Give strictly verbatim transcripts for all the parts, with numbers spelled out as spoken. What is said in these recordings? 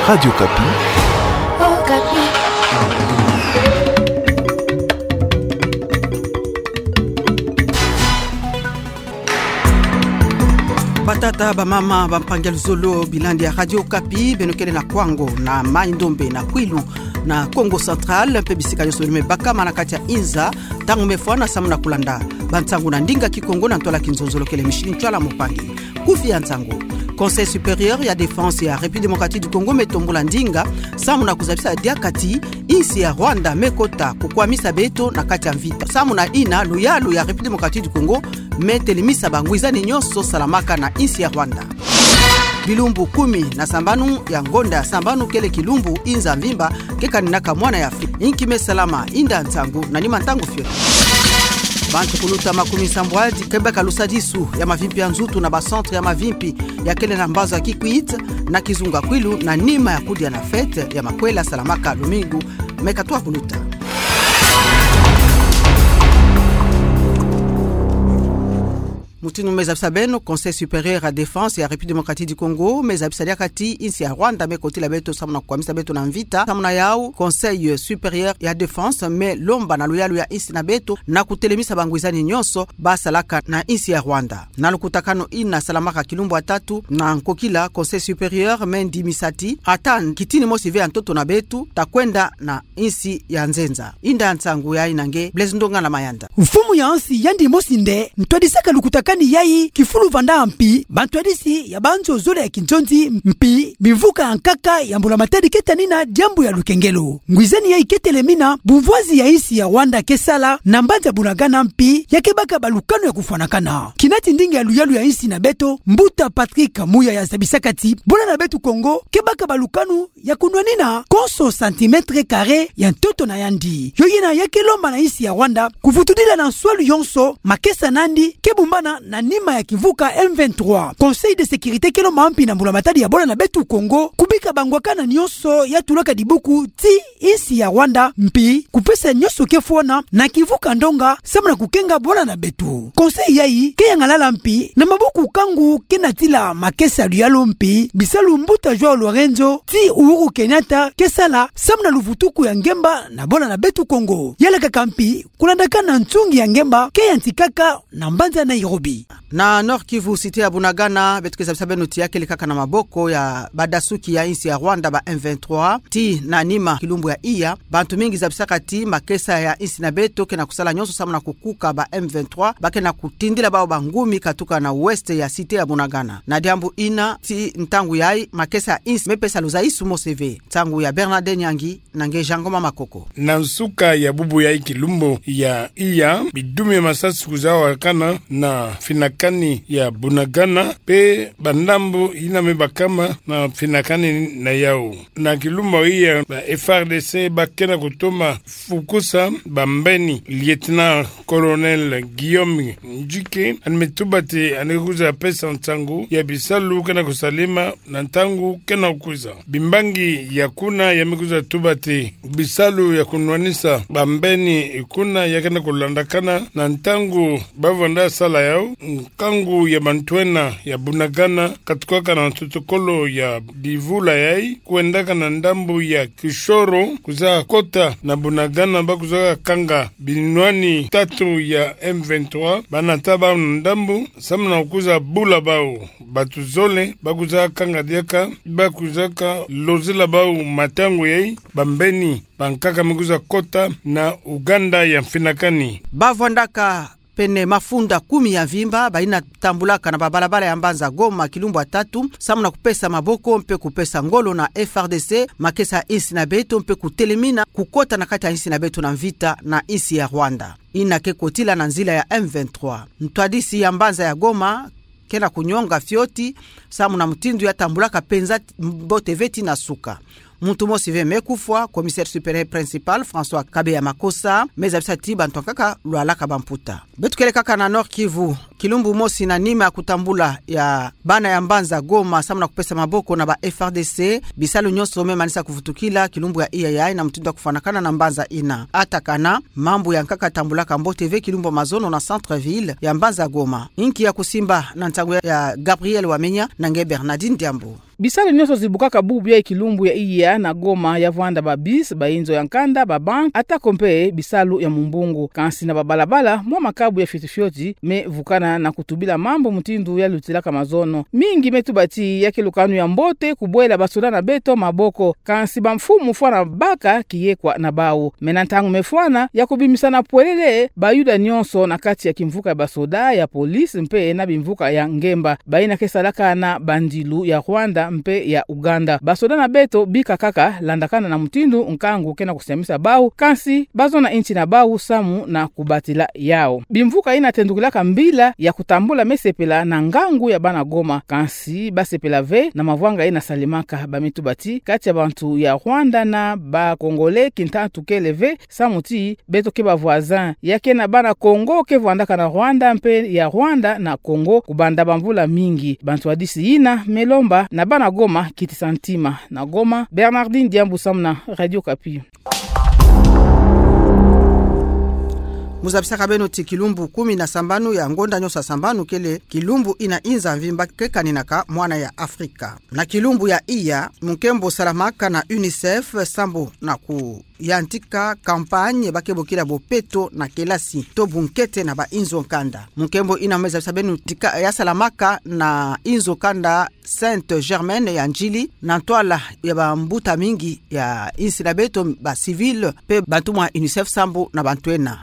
Radio Okapi. Batata, bamama, bampangi ya luzolo, bilandi ya Radio Okapi, beno kele na Kwango, na Mai-Ndombe, na Kwilu, na Kongo Central, mpe bisika nyonso beno me bakama na kati ya inza, ntangu me fwana samu na kulanda bansangu na ndinga Kikongo na ntwala Kinzonzolo, kele Micheline Tshoala Moupangi. Kufi ya nsangu. Conseil supérieur ya défense ya République démocratique du Congo me tombula ndinga samu na kuzabisa diaka ti insi ya Rwanda me kota kukwamisa beto na kati ya mvita. Samu na ina, luyalu ya République démocratique du Congo me telemisa bangwizani nyonso salamaka na insi ya Rwanda. Bilumbu kumi na sambanu ya ngonda ya sambanu kele kilumbu inza mvimba ke kaninaka mwana ya Afrika. Inki me salama? Inda nsangu na nima ntangu fioti. Bantu kuluta makumi sambwadi ke baka lusadisu ya mavimpi ya nzutu na ba centre ya mavimpi ya kele na mbanza Kikwit na kizunga Kwilu na nima ya kudia na fête ya makwela salamaka lumingu me katwa kuluta. Mutindu me zabisa beno, Conseil supérieur ya défense ya République démocratique du Congo me zabisa diaka ti insi ya Rwanda me kotila beto samu na kukwamisa beto na mvita. Samu na yau, Conseil supérieur ya défense me lomba na luyalu ya insi na beto na kutelemisa bangwizani nyonso ba salaka na insi ya Rwanda. Na lukutakanu ina salamaka kilumbu ya tatu na nkokila, Conseil supérieur me ndimisa ti ata kitini mosi ve ya ntoto na beto, ta kwenda na insi ya nzenza. Inda nsangu yayi na nge Blaise Ndongala Mayanda. Mfumu ya nsi yandi mosi nde ntwadisaka lukutakanu yayi kifulu vanda mpi bantwadisi ya banzo zole ya kinzonzi mpi bimvuka ya nkaka ya mbula-matadi ke tanina diambu ya lukengelo. Ngwizani yayi ke telemina bumvwazi ya insi ya Rwanda ke sala na mbanza Bunagana mpi ya ke baka balukanu ya kufwanakana. Kina ti ndinga ya luyalu ya insi na beto, Mbuta Patrick Muyaya zabisaka ti bola na beto Kongo ke baka balukanu ya kunwanina konso centimètre carré ya ntoto na yandi. Yo yina ya ke lomba na insi ya Rwanda kuvutudila na nswalu yonso makesa nandi ke bumbana na nima ya kimvuka M vingt-trois. Conseil de sécurité ke lomba mpi na mbula-matadi ya bola na beto Kongo kubika bangwakana nyonso ya tulaka dibuku ti insi ya Rwanda mpi kupesa nyonso ke fwana na kimvuka ndonga samu na kukenga bola na beto. Conseil yayi ke yangalala mpi na maboko kangu ke natila makesa luyalu mpi bisalu Mbuta João Lourenço ti Uhuru Kenyatta ke sala samu na luvutuku ya ngemba na bola na beto Kongo. Yalakaka mpi kulandaka na nsungi ya ngemba ke yantikaka na mbanza Nairobi. Na Nord-Kivu, cité ya Bunagana, beto ke zabisa beno ti ya kele kaka na maboko ya badasuki ya insi ya Rwanda, ba M vingt-trois, ti na nima kilumbu ya iya. Bantu mingi zabisaka ti makesa ya insi na beto ke na kusala nyonso samu na kukuka ba M vingt-trois ba ke na kutindila bawu bangumi katuka na ouest ya cité ya Bunagana. Na diambu ina ti ntangu yayi makesa ya insi me pesa luzaisu mosi ve. Nsangu ya Bernardin Nyangi na nge Jean Ngoma Makoko. Na nsuka ya bubu yayi kilumbu ya iya, bidumi ya masasi kwiza wakana na mfinakani ya Bunagana mpe bandambu yina me bakama na mfinakani na yawu. Na kilumbu ya iya, ba F A R D C ba ke na kutoma fukusa bambeni. Lieutenant-colonel Guillaume Ndjike, yandi me tuba ti yandi ke kwiza pesa nsangu ya bisalu ke na kusalama na ntangu ke na kukwiza. Bimbangi ya kuna ya me kwiza tuba ti bisalu ya kunwanisa bambeni kuna ya ke na kulandakana na ntangu ba vanda sala yawu. Nkangu ya bantwenya ya Bunagana katukaka na nsotokolo ya divula yayi, kwendaka na ndambu ya Kishoro, kwiza kota na Bunagana, ba kwiza kanga binwani tatu ya M vingt-trois, ba nata bawu na ndambu samu na kwiza bula bawu. Bawu zole ba kwiza kanga diaka, ba kwiza kalozila bawu matangu yayi, bambeni bankaka me kwiza kota na Uganda ya mfinakani. Ba vwandaka pene mafunda kumi ya mvimba, bayina tambulaka na babalabala ya mbanza Goma kilumbu ya tatu, samu na kupesa maboko mpe kupesa ngolo na F A R D C, makesa ya insi na beto, mpe kutelemina kukota na kati ya insi na beto na mvita na insi ya Rwanda, yina ke kotila na nzila ya M vingt-trois. Ntwadisi ya mbanza ya Goma ke na kunyonga fioti, samu na mutindu ya tambulaka mpenza mbote ve ti na suka. Muntu mosi ve me kufwa, commissaire supérieur principal François Kabeya Makossa me zabisa ti bantu ankaka lwalaka bamputa. Beto kele kaka na Nord-Kivu. Kilumbu mosi na nima ya kutambula ya bana ya mbanza Goma samu na kupesa maboko na ba F A R D C, bisalu nyonso me manisa kuvutukila kilumbu ya iya yayi na mutindu ya kufwanakana na mbanza yina. Atakana mambu ya nkaka tambulaka mbote ve kilumbu ya mazono na centre-ville ya mbanza Goma. Inki ya kusimba na nsangu ya, ya Gabriel Wamenya na nge Bernardine Diambu. Bisalu nyonso zibukaka bubu ya kilumbu ya iya na Goma ya vwanda ba bus, ba inzo ya nkanda, ba banque, atako mpe bisalu ya mumbungu. Kansi na babalabala, mwa makabu ya fioti-fioti me vukana na kutubila mambu mutindu ya lutilaka mazono. Mingi me tuba ti ya ke lukanu ya mbote kubwela basoda na beto maboko. Kansi bamfumu fwana baka kiyekwa na bawu. Me na ntangu me fwana ya kubimisana pwelele bayuda nyonso na kati ya kimvuka ya basoda, ya police mpe na bimvuka ya ngemba, bayina ke salaka na bandilu ya Rwanda mpe ya Uganda. Basoda na beto bika kaka landakana na mutindu nkangu ke na kusiamisa bawu, kansi bazona inti na bawu samu na kubatila yawu. Bimvuka yina tendukilaka mbila ya kutambula me sepela na ngangu ya bana Goma, kansi basepela ve na mavwanga yina salemaka. Ba me tuba ti kati ya bantu ya Rwanda na ba Congolais, kintatu kele ve, samu ti beto ke ba voisins. Ya ke na bana Congo ke vwandaka na Rwanda mpe ya Rwanda na Congo kubanda bamvula mingi. Bantwadisi yina me lomba na bana Goma kitisa ntima. Na Goma, Bernardine Diambu samu na Radio Okapi. Mu zabisaka beno ti kilumbu kumi na sambanu ya ngonda nyonso ya sambanu kele kilumbu yina inza mvimba ke kaninaka mwana ya Afrika. Na kilumbu ya iya, munkembo salamaka na UNICEF sambu na kuyantika campagne ba ke bokila bopeto na kelasi to bunkete na ba inzo nkanda. Munkembo yina me zabisa beno ti ka ya salamaka na inzo nkanda Sainte Germaine ya Ndjili, na ntwala ya bambuta mingi ya insi na beto, ba civil, mpe bantumwa UNICEF sambu na bantu ena.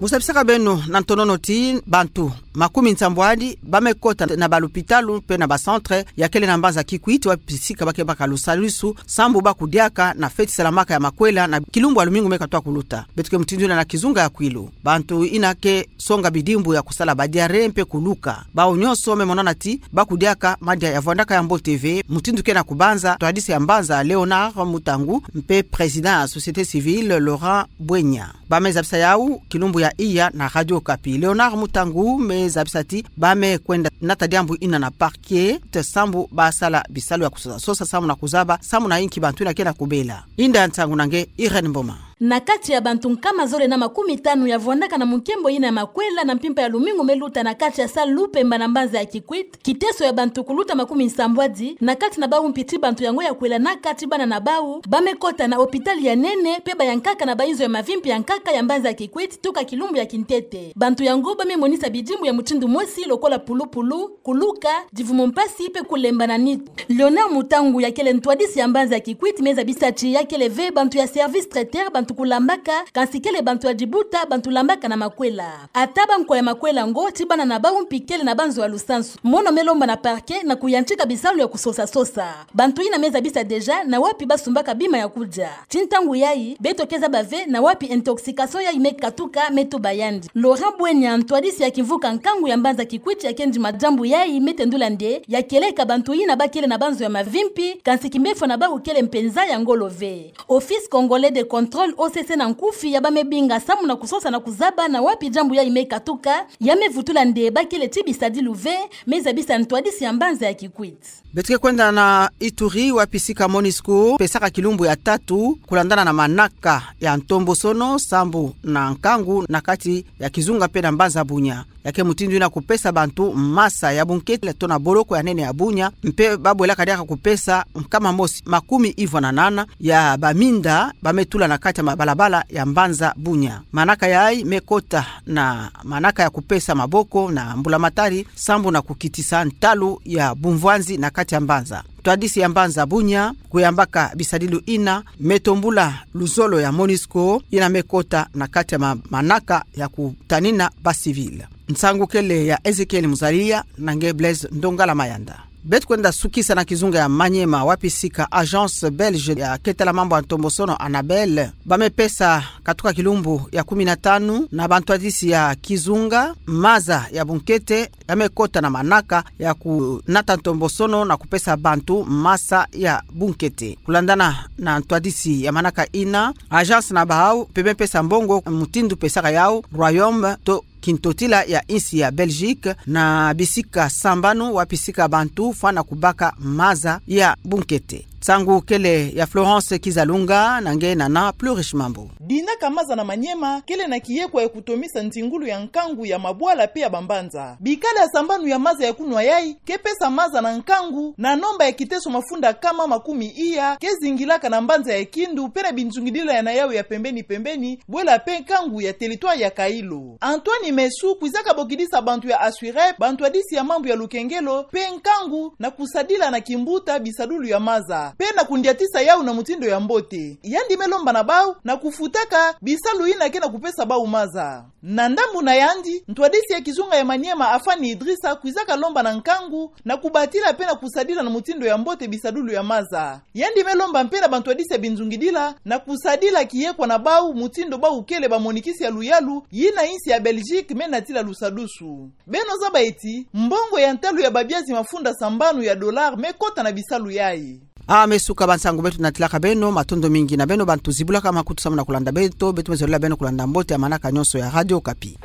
Mu zabisaka beno na ntonono ti bantu makumi nsambwadi ba me kota na balupitalu mpe na bacentre ya kele na mbanza Kikwit, wapi sika ba ke baka lusadisu, sambu ba kudiaka na feti salamaka ya makwela na kilumbu ya lumingu me katuka kuluta. Beto ke mutindu yina na kizunga ya Kwilu. Bantu yina ke songa bidimbu ya kusala ba diarrhée mpe kuluka. Bawu nyonso me monana ti ba kudiaka madia ya vwandaka ya mbote ve, mutindu ke na kubanza ntwadisi ya mbanza Léonard Mutangu mpe président ya société civile Laurent Bwenya. Ba me zabisa yawu kilumbu ya iya na Radio Okapi. Léonard Mutangu me zabisa ti ba me kwenda nata diambu yina na parquet sambu ba sala bisalu ya kusosa sosa samu na kuzaba samu na inki bantu yina ke na kubela. Inda ya nsangu na nge Irène Mboma. Na kati ya bantu nkama zole na makumi tanu ya vwandaka na munkembo yina ya makwela na mpimpa ya lumingu me luta na kati ya salle Lupemba na mbanza ya Kikwit, kiteso ya bantu kuluta makumi nsambwadi, na kati na bawu mpe ti bantu yango ya kwela na kati bana na bawu, ba me kota na hôpital ya nene, mpe ba yankaka na ba inzo ya mavimpi ya nkaka ya mbanza ya Kikwit, tuka kilumbu ya kintete. Bantu yango ba me monisa bidimbu ya mutindu mosi lokola pulupulu, kuluka, divumu mpasi mpe kulemba na nitu. Léonard Mutangu ya kele ntwadisi ya mbanza ya Kikwit me zabisa ti ya kele ve bantu ya service traiteur bantu kulambaka, kansi kele bantu ya dibuta bantu lambaka na makwela. Ata bankwa ya makwela yango ti bana na bawu mpe kele na banzo ya lusansu. Mono me lomba na parquet na kuyantika bisalu ya kusosa sosa. Bantu yina me zabisa déjà na wapi ba sumbaka bima ya kudia. Ti ntangu yayi, beto ke zaba ve na wapi intoxication yayi me katuka, me tuba yandi. Laurent Bwenya, ntwadisi ya kimvuka nkangu ya mbanza Kikwit ya ke ndima diambu yayi, me tendula nde ya kieleka bantu yina ba kele na banzo ya mavimpi, kansi kimbefo na bawu kele mpenza ya ngolo ve. Office Congolais de Contrôle, O C C na nkufi, ya ba me binga samu na kusosa na kuzaba na wapi diambu yayi me katuka, ya me vutula nde ba kele ti bisadilu ve, me zabisa ntwadisi ya mbanza ya Kikwit. Beto ke kwenda na Ituri, wapi sika MONUSCO pesaka kilumbu ya tatu kulandana na manaka ya ntombosono sambu na nkangu na kati ya kizunga mpe na mbanza Bunia. Ya ke mutindu yina kupesa bantu masa ya bunkete to na boloko ya nene ya Bunia, mpe ba bwelaka diaka kupesa nkama mosi makumi ivwa na nana ya baminda ba me tula na kati ya mabalabala ya mbanza Bunia. Manaka yayi me kota na manaka ya kupesa maboko na mbulamatari sambu na kukitisa ntalu ya bumvwanzi na kati ya mbanza. Ntwadisi ya mbanza Bunia, kuyambaka bisadilu yina, me tombula luzolo ya MONUSCO yina me kota na kati ya ma-, manaka ya kutanina ba civil. Nsangu kele ya Ezekiel Muzalia na nge Blaise Ndongala Mayanda. Beto kwenda sukisa na kizunga ya Maniema, wapi sika Agence Belge ya ke tala mambu ya ntombosono ANABEL ba me pesa katuka kilumbu ya kumi na tanu na bantwadisi ya kizunga maza ya bunkete ya me kota na manaka ya kunata ntombosono na kupesa bantu masa ya bunkete. Kulandana na ntwadisi ya manaka yina, agence na bawu mpe me pesa mbongo mutindu pesaka yawu Royaume to kintotila ya insi ya Belgique na bisika sambanu wapi sika bantu fwana kubaka maza ya bunkete. Nsangu kele ya Florence Kizalunga, na nge nana Plus Riche Mambu. Dinaka maza na Maniema kele na kiyekwa ya kutomisa ntingulu ya nkangu ya mabwala pe ya bambanza. Bikala ya sambanu ya maza ya kunwa yai ke pesa maza na nkangu na nomba ya kiteso mafunda kama makumi iya ke zingilaka na mbanza ya Kindu pe na binzungidila yana yau ya pembeni-pembeni, bwela pe nkangu ya territoire ya Kailo. Antoine Mesu kwizaka bokidisa bantu ya Assurep bantwadisi ya mambu ya lukengelo pe nkangu na kusadila na kimbuta bisadulu ya maza pe na kundiatisa yau na mutindu ya mbote. Yandi me lomba na bau na kufutaka bisalu yina ke na kupesa bau maza. Na ndambu na yandi, ntwadisi ya kizunga ya Maniema Afani Idrissa kwizaka lomba na nkangu na kubatila pe na kusadila na mutindu ya mbote bisadulu ya maza. Yandi me lomba mpe na bantwadisi ya binzungidila na kusadila kiyekwa na bau mutindu bau kele bamonikisi ya luyalu yina insi ya Belgique me natila lusadusu. Beno zaba eti, mbongo ya ntalu ya babiazi mafunda sambanu ya dollar me kota na bisalu yai. Ah, me suka bansangu beto natilaka beno, matondo mingi na beno bantu zibulaka makutu samu na kulanda beto, beto me zolela beno kulanda mbote ya manaka nyonso ya Radio Okapi.